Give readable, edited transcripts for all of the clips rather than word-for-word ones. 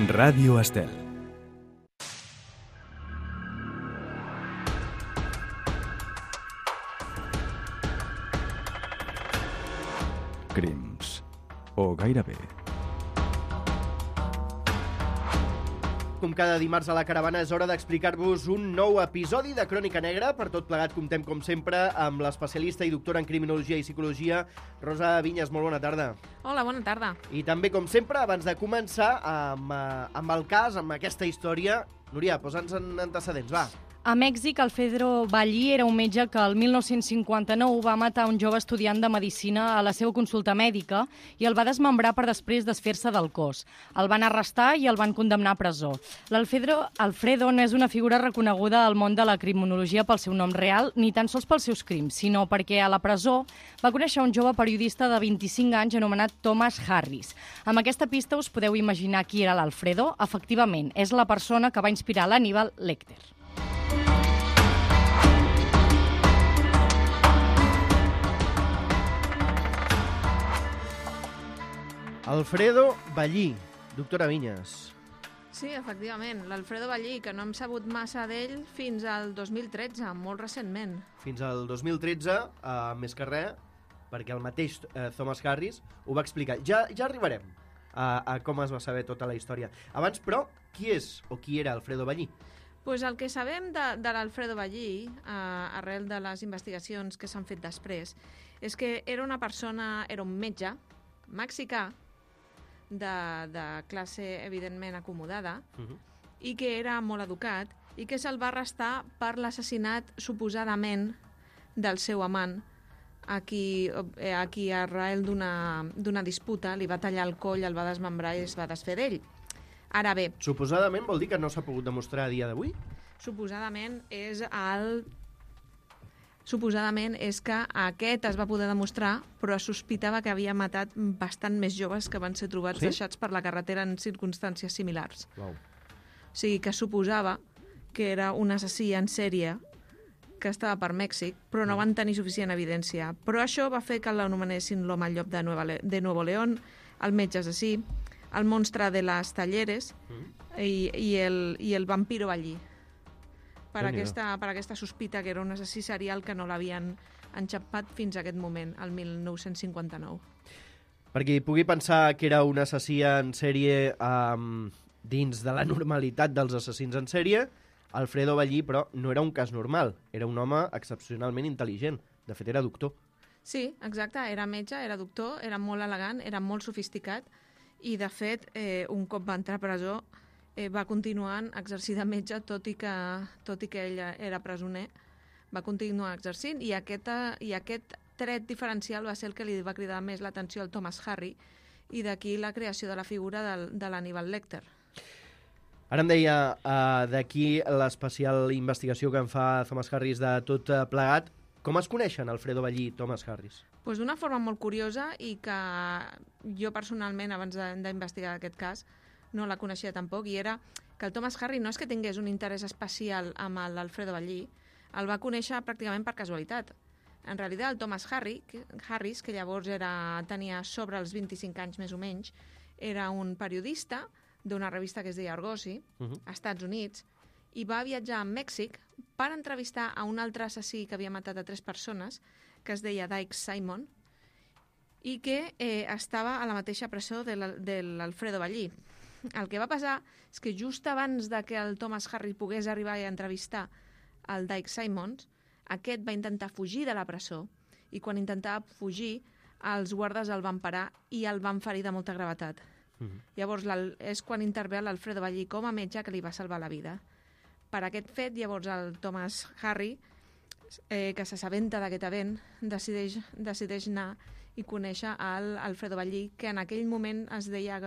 Ràdio Estel. Crims. O gairebé. Com cada dimarts a la caravana és hora d'explicar-vos un nou episodi de Crònica Negra. Per tot plegat comptem, com sempre, amb l'especialista i doctora en Criminologia i Psicologia, Rosa Vinyes. Molt bona tarda. Hola, bona tarda. I també, com sempre, abans de començar amb el cas, amb aquesta història, Núria, posa'ns en antecedents, va. A Mèxic, Alfredo Ballí era un metge que el 1959 va matar un jove estudiant de medicina a la seva consulta mèdica i el va desmembrar per després desfer-se del cos. El van arrestar i el van condemnar a presó. Alfredo no és una figura reconeguda al món de la criminologia pel seu nom real, ni tan sols pels seus crims, sinó perquè a la presó va conèixer un jove periodista de 25 anys anomenat Thomas Harris. Amb aquesta pista us podeu imaginar qui era l'Alfredo? Efectivament, és la persona que va inspirar l'Hannibal Lecter. Alfredo Ballí, doctora Vinyes. Sí, efectivament, l'Alfredo Ballí, que no hem sabut massa d'ell fins al 2013, molt recentment. Fins al 2013, més que res, perquè el mateix Thomas Harris ho va explicar. Ja arribarem a com es va saber tota la història. Abans, però, qui és o qui era Alfredo Ballí? Pues el que sabem de l'Alfredo Ballí, arrel de les investigacions que s'han fet després, és que era un metge mexicà, de classe evidentment acomodada, i que era molt educat i que se'l va arrestar per l'assassinat suposadament del seu amant, a qui arrel d'una disputa li va tallar el coll, el va desmembrar i es va desfer d'ell. Ara bé... Suposadament vol dir que no s'ha pogut demostrar a dia d'avui? Suposadament és que aquest es va poder demostrar, però es sospitava que havia matat bastant més joves que van ser trobats deixats per la carretera en circumstàncies similars. Wow. O sigui, que suposava que era un assassí en sèrie que estava per Mèxic, però no van tenir suficient evidència. Però això va fer que l'anomenessin l'home al llop de Nuevo León, el metge assassí, el monstre de les Talleres i el vampiro Ballí. Per aquesta sospita que era un assassí serial que no l'havien enxampat fins a aquest moment, el 1959. Per qui pugui pensar que era un assassí en sèrie dins de la normalitat dels assassins en sèrie, Alfredo Ballí, però, no era un cas normal. Era un home excepcionalment intel·ligent. De fet, era doctor. Sí, exacte. Era metge, era doctor, era molt elegant, era molt sofisticat i, de fet, un cop va entrar a presó, va continuar exercint de metge, tot i que ell era presoner, va continuar exercint, i aquest tret diferencial va ser el que li va cridar més l'atenció al Thomas Harris, i d'aquí la creació de la figura de l'Hannibal Lecter. Ara em deia d'aquí l'especial investigació que en fa Thomas Harris de tot plegat. Com es coneixen Alfredo Ballí i Thomas Harris? Pues d'una forma molt curiosa, i que jo personalment, abans d'investigar aquest cas, no la coneixia tampoc, i era que el Thomas Harris no és que tingués un interès especial amb l'Alfredo Ballí, el va conèixer pràcticament per casualitat. En realitat, el Thomas Harris, que llavors tenia sobre els 25 anys més o menys, era un periodista d'una revista que es deia Argosy, a Estats Units, i va viatjar a Mèxic per entrevistar a un altre assassí que havia matat a 3 persones, que es deia Dike Simon, i que estava a la mateixa presó de l'Alfredo Ballí. El que va passar és que just abans de que el Thomas Harris pogués arribar a entrevistar el Dike Simons, aquest va intentar fugir de la presó, i quan intentava fugir, els guardes el van parar i el van ferir de molta gravetat. Llavors és quan intervé l'Alfredo Ballí com a metge que li va salvar la vida. Per aquest fet, llavors el Thomas Harris, que s'assabenta d'aquest event, decideix anar i conèixer l'Alfredo Ballí, que en aquell moment es deia...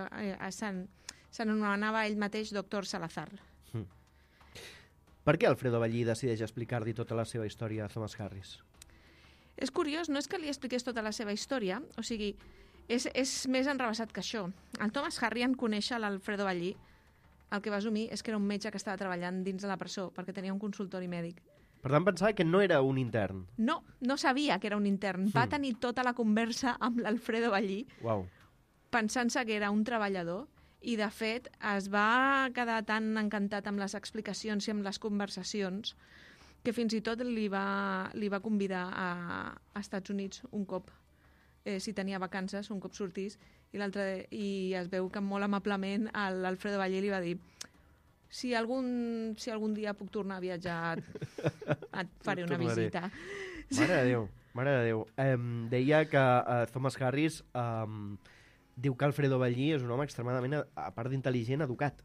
s'anomenava ell mateix Dr. Salazar. Per què Alfredo Ballí decideix explicar-li tota la seva història a Thomas Harris? És curiós, no és que li expliqués tota la seva història, o sigui, és més enrevessat que això. El Thomas Harris, en conèixer l'Alfredo Ballí, el que va assumir és que era un metge que estava treballant dins de la presó, perquè tenia un consultori mèdic. Per tant, pensava que no era un intern. No sabia que era un intern. Va tenir tota la conversa amb l'Alfredo Ballí, Wow. pensant-se que era un treballador, i de fet es va quedar tan encantat amb les explicacions i amb les conversacions que fins i tot li va convidar a Estats Units un cop, si tenia vacances, un cop sortís, i es veu que molt amablement l'Alfredo Ballí li va dir si algun dia puc tornar a viatjar et faré una visita. Mare de Déu. Deia que Thomas Harris diu que Alfredo Ballí és un home extremadament, a part d'intel·ligent, educat.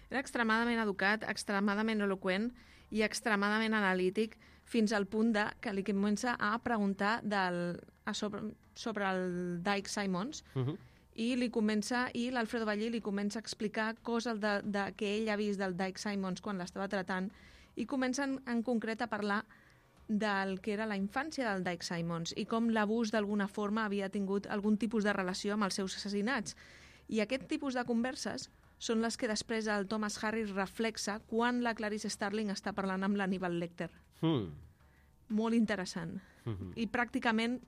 Era extremadament educat, extremadament eloqüent i extremadament analític, fins al punt que li comença a preguntar sobre el Dyke Simons, i l'Alfredo Ballí li comença a explicar coses que ell ha vist del Dyke Simons quan l'estava tratant, i comencen en concret a parlar del que era la infància del Dyke Simons i com l'abús d'alguna forma havia tingut algun tipus de relació amb els seus assassinats. I aquest tipus de converses són les que després el Thomas Harris reflexa quan la Clarice Starling està parlant amb l'Hannibal Lecter. Molt interessant. I pràcticament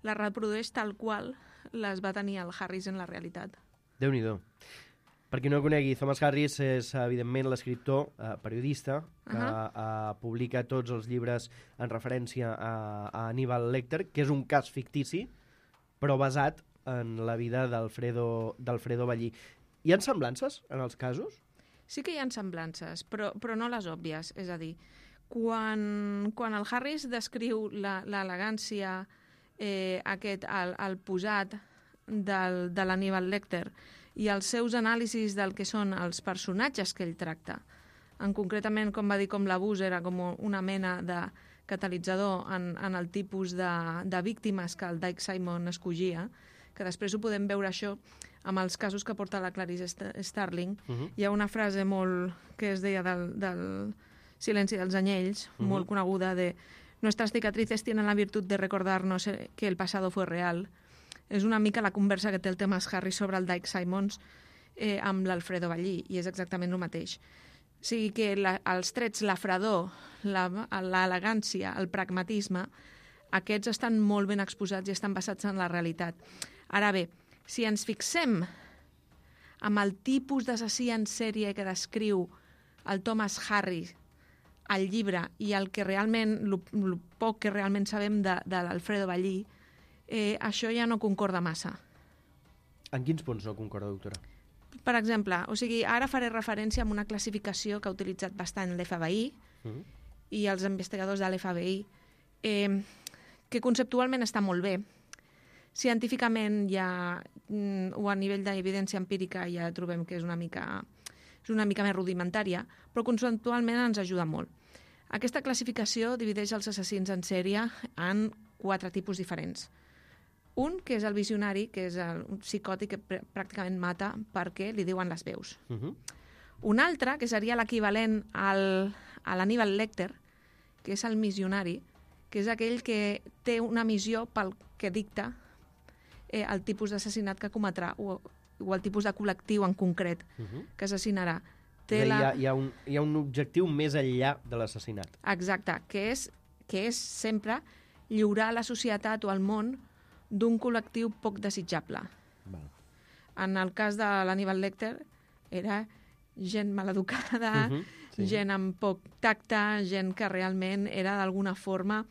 la reprodueix tal qual les va tenir el Harris en la realitat. Déu-n'hi-do. Per qui no el conegui, Thomas Harris és, evidentment, l'escriptor, periodista, que publica tots els llibres en referència a Hannibal Lecter, que és un cas fictici, però basat en la vida d'Alfredo Ballí. Hi ha semblances en els casos? Sí que hi ha semblances, però no les òbvies. És a dir, quan el Harris descriu l'elegància, el posat de l'Hannibal Lecter i els seus anàlisis del que són els personatges que ell tracta, concretament, com va dir, com l'abús era com una mena de catalitzador en el tipus de víctimes que el Dyke Simon escollia, que després ho podem veure això amb els casos que porta la Clarice Starling. Hi ha una frase que es deia del Silenci dels anyells, molt coneguda, de «Nuestras cicatrices tienen la virtud de recordarnos que el pasado fue real». És una mica la conversa que té el Thomas Harris sobre el Dyke Simons amb l'Alfredo Ballí, i és exactament el mateix. O sigui que els trets, la fredor, l'elegància, el pragmatisme, aquests estan molt ben exposats i estan basats en la realitat. Ara bé, si ens fixem amb el tipus d'assassí en sèrie que descriu el Thomas Harris al llibre i el que realment, el poc que realment sabem de l'Alfredo Ballí, això ja no concorda massa. En quins punts no concorda, doctora? Per exemple, ara faré referència a una classificació que ha utilitzat bastant l'FBI i els investigadors de l'FBI, que conceptualment està molt bé. Científicament o a nivell d'evidència empírica ja trobem que és una mica més rudimentària, però conceptualment ens ajuda molt. Aquesta classificació divideix els assassins en sèrie en 4 tipus diferents. Un, que és el visionari, que és el psicòtic que pràcticament mata perquè li diuen les veus. Un altre, que seria l'equivalent a l'Hannibal Lecter, que és el missionari, que és aquell que té una missió pel que dicta el tipus d'assassinat que cometrà o el tipus de col·lectiu en concret que assassinarà. Hi ha un objectiu més enllà de l'assassinat. Exacte, que és sempre lliurar la societat o el món d'un col·lectiu poc desitjable. En el cas de l'Hannibal Lecter era gent maleducada, gent amb poc tacte, gent que realment era d'alguna forma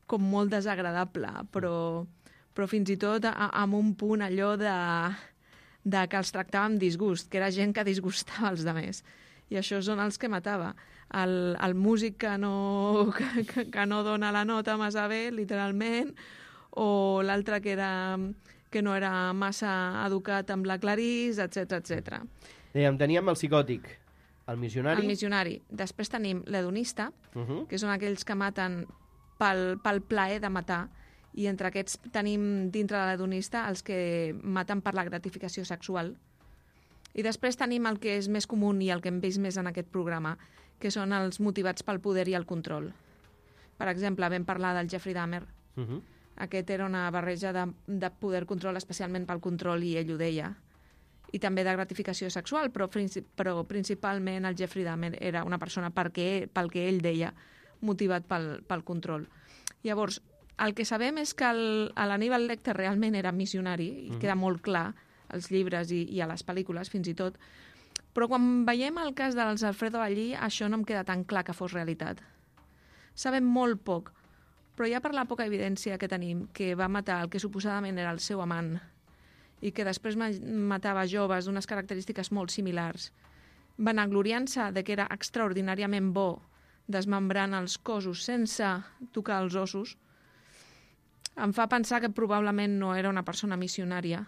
com molt desagradable, però fins i tot amb un punt allò de que els tractava amb disgust, que era gent que disgustava els altres. I això són els que matava. El músic que no dona la nota massa bé, literalment, o l'altre que no era massa educat amb la Clarice, etc. Teníem el psicòtic, el missionari. El missionari. Després tenim l'hedonista, que són aquells que maten pel plaer de matar, i entre aquests tenim dintre de l'hedonista els que maten per la gratificació sexual. I després tenim el que és més comú i el que hem vist més en aquest programa, que són els motivats pel poder i el control. Per exemple, vam parlar del Jeffrey Dahmer. Aquest era una barreja de poder-control, especialment pel control, i ell ho deia. I també de gratificació sexual, però principalment el Jeffrey Dahmer era una persona, pel que ell deia, motivat pel control. Llavors, el que sabem és que l'Hannibal Lecter realment era missionari, i queda molt clar als llibres i a les pel·lícules, fins i tot. Però quan veiem el cas dels Alfredo Ballí, això no em queda tan clar que fos realitat. Sabem molt poc, però ja per la poca evidència que tenim, que va matar el que suposadament era el seu amant i que després matava joves d'unes característiques molt similars, vanagloriant-se de que era extraordinàriament bo desmembrant els cossos sense tocar els ossos, em fa pensar que probablement no era una persona missionària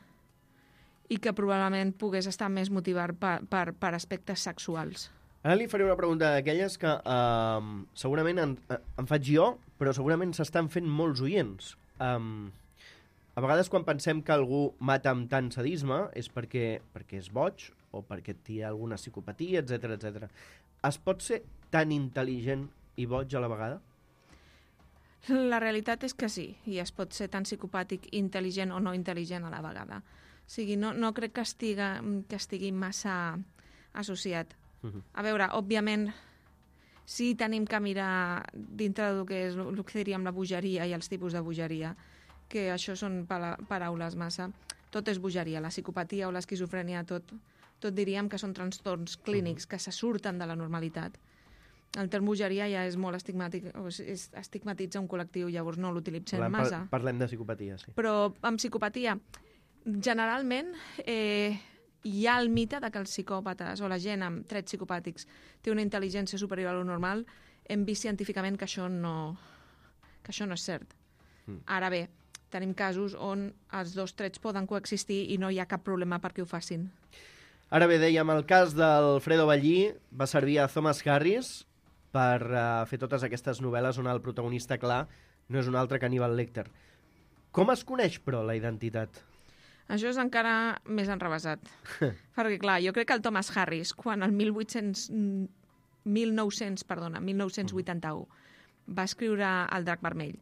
i que probablement pogués estar més motivat per aspectes sexuals. Ara li faré una pregunta d'aquelles que segurament en faig jo, però segurament s'estan fent molts oients. A vegades quan pensem que algú mata amb tant sadisme és perquè és boig o perquè té alguna psicopatia, etc etc. Es pot ser tan intel·ligent i boig a la vegada? La realitat és que sí, i es pot ser tan psicopàtic, intel·ligent o no intel·ligent a la vegada. O sigui, no crec que estigui massa associat. A veure, òbviament, sí tenim que mirar dintre del que és el que diríem la bogeria i els tipus de bogeria, que això són paraules massa. Tot és bogeria, la psicopatia o l'esquizofrènia, tot diríem que són trastorns clínics que se surten de la normalitat. El terme bogeria ja és molt estigmàtic, estigmatitza un col·lectiu, llavors no l'utilitzem massa. Parlem de psicopatia, sí. Però amb psicopatia, generalment, hi ha el mite de que els psicòpates o la gent amb trets psicopàtics té una intel·ligència superior a lo normal. Hem vist científicament que això no és cert. Ara bé, tenim casos on els dos trets poden coexistir i no hi ha cap problema perquè ho facin. Ara bé, dèiem, el cas d'Alfredo Ballí va servir a Thomas Harris per fer totes aquestes novel·les on el protagonista clar no és un altre que Hannibal Lecter. Com es coneix, però, la identitat? Això és encara més enrevesat. Perquè, clar, jo crec que el Thomas Harris, quan el 1981 va escriure El drac vermell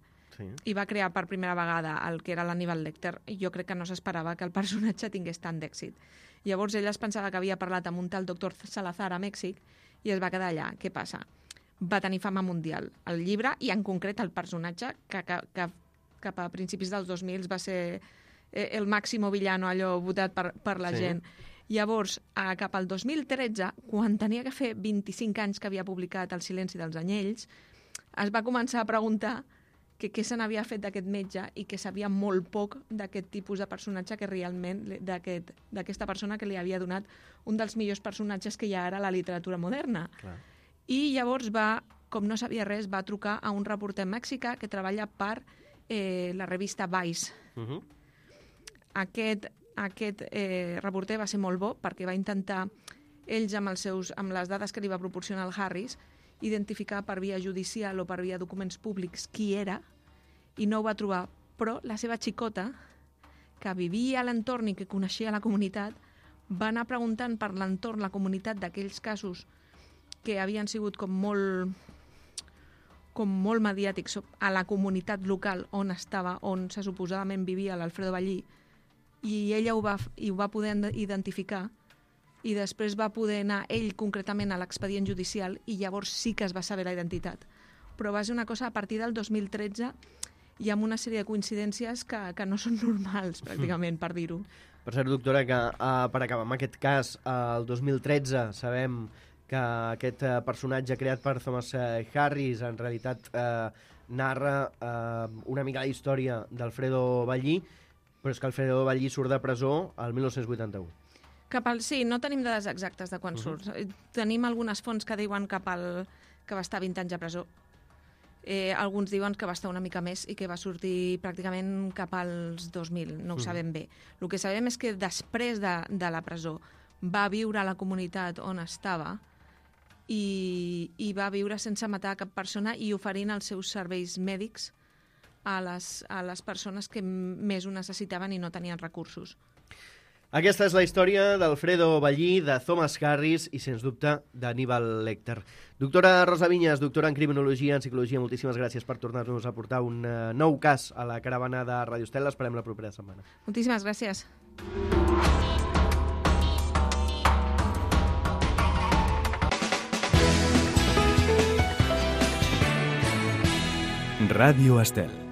i va crear per primera vegada el que era l'Hannibal Lecter, jo crec que no s'esperava que el personatge tingués tant d'èxit. Llavors ell es pensava que havia parlat amb un tal doctor Salazar a Mèxic i es va quedar allà. Què passa? Va tenir fama mundial. El llibre, i en concret el personatge, que cap a principis dels 2000 va ser el màximo villano, allò votat per la gent. Llavors, cap al 2013, quan tenia que fer 25 anys que havia publicat El silenci dels anyells, es va començar a preguntar què se n'havia fet d'aquest metge i que sabia molt poc d'aquest tipus de personatge que realment, d'aquesta persona que li havia donat un dels millors personatges que hi ha ara a la literatura moderna. Clar. I llavors va, com no sabia res, va trucar a un reporter mexicà que treballa per la revista Vice. Aquest reporter va ser molt bo perquè va intentar, ells amb les dades que li va proporcionar el Harris, identificar per via judicial o per via documents públics qui era, i no ho va trobar. Però la seva xicota, que vivia a l'entorn i que coneixia la comunitat, va anar preguntant per l'entorn, la comunitat d'aquells casos que havien sigut com molt mediàtics a la comunitat local on se suposadament vivia l'Alfredo Ballí, i ella ho va poder identificar, i després va poder anar ell concretament a l'expedient judicial i llavors sí que es va saber la identitat. Però va ser una cosa a partir del 2013 i amb una sèrie de coincidències que no són normals, pràcticament, per dir-ho. Per cert, doctora, que per acabar amb aquest cas, el 2013 sabem que aquest personatge creat per Thomas Harris en realitat narra una mica la història d'Alfredo Ballí, però és que Alfredo Ballí surt de presó el 1981. Sí, no tenim dades exactes de quan surt. Tenim algunes fonts que diuen que va estar 20 anys a presó. Alguns diuen que va estar una mica més i que va sortir pràcticament cap als 2000, no ho sabem bé. El que sabem és que després de la presó va viure a la comunitat on estava i va viure sense matar cap persona i oferint els seus serveis mèdics a les persones que més ho necessitaven i no tenien recursos. Aquesta és la història d'Alfredo Ballí, de Thomas Harris i, sens dubte, d'Hannibal Lecter. Doctora Rosa Vinyes, doctora en Criminologia, en Psicologia, moltíssimes gràcies per tornar-nos a portar un nou cas a la caravana de Radio Estel. L'esperem la propera setmana. Moltíssimes gràcies. Radio Estel.